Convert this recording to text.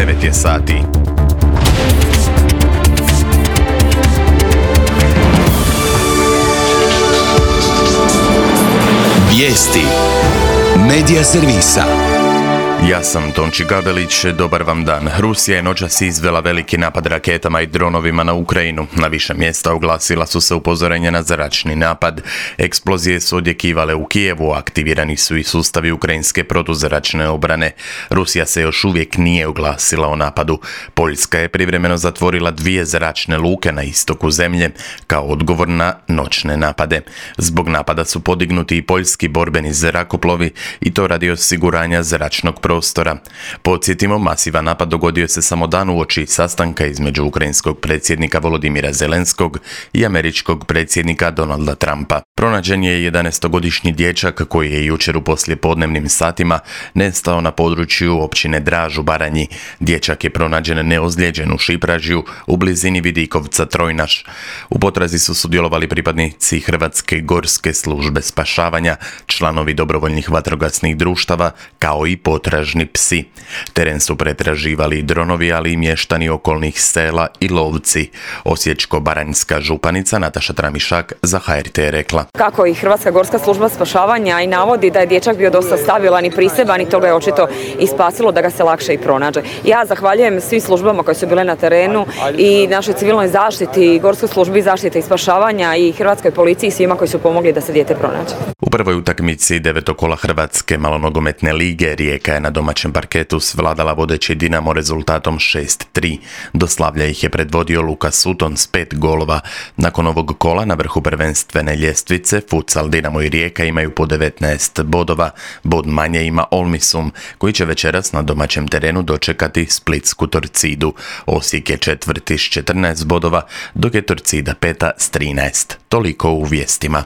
9 je sati. Vijesti Medija servisa. Ja sam Tonči Gabelić, dobar vam dan. Rusija je noćas izvela veliki napad raketama i dronovima na Ukrajinu. Na više mjesta oglasila su se upozorenja na zračni napad. Eksplozije su odjekivale u Kijevu, aktivirani su i sustavi ukrajinske protuzračne obrane. Rusija se još uvijek nije oglasila o napadu. Poljska je privremeno zatvorila 2 zračne luke na istoku zemlje kao odgovor na noćne napade. Zbog napada su podignuti i poljski borbeni zrakoplovi i to radi osiguranja zračnog prostora. Podsjetimo, masivan napad dogodio se samo dan uoči sastanka između ukrajinskog predsjednika Volodimira Zelenskog i američkog predsjednika Donalda Trumpa. Pronađen je 11-godišnji dječak koji je jučer u poslijepodnevnim satima nestao na području općine Draž u Baranji. Dječak je pronađen neozlijeđen u Šipražju u blizini Vidikovca Trojnaš. U potrazi su sudjelovali pripadnici Hrvatske gorske službe spašavanja, članovi dobrovoljnih vatrogasnih društava kao i potražni psi. Teren su pretraživali dronovi, ali i mještani okolnih sela i lovci. Osječko-baranjska županica Nataša Tramišak za HRT je rekla: Kako i Hrvatska gorska služba spašavanja i navodi da je dječak bio dosta stabilan i priseban i to ga je očito i spasilo da ga se lakše i pronađe. Ja zahvaljujem svim službama koje su bile na terenu i našoj civilnoj zaštiti, Gorskoj službi zaštite i spašavanja i Hrvatskoj policiji i svima koji su pomogli da se dijete pronađe. U prvoj utakmici devetokola Hrvatske malonogometne lige Rijeka je na domaćem parketu svladala vodeći Dinamo rezultatom 6-3. Do slavlja ih je predvodio Luka Sutton s 5 golova. Nakon ovog kola na vrhu prvenstvene ljestvice Futsal, Dinamo i Rijeka imaju po 19 bodova. Bod manje ima Olmisum, koji će večeras na domaćem terenu dočekati Splitsku Torcidu. Osijek je četvrti s 14 bodova, dok je Torcida peta s 13. Toliko u vijestima.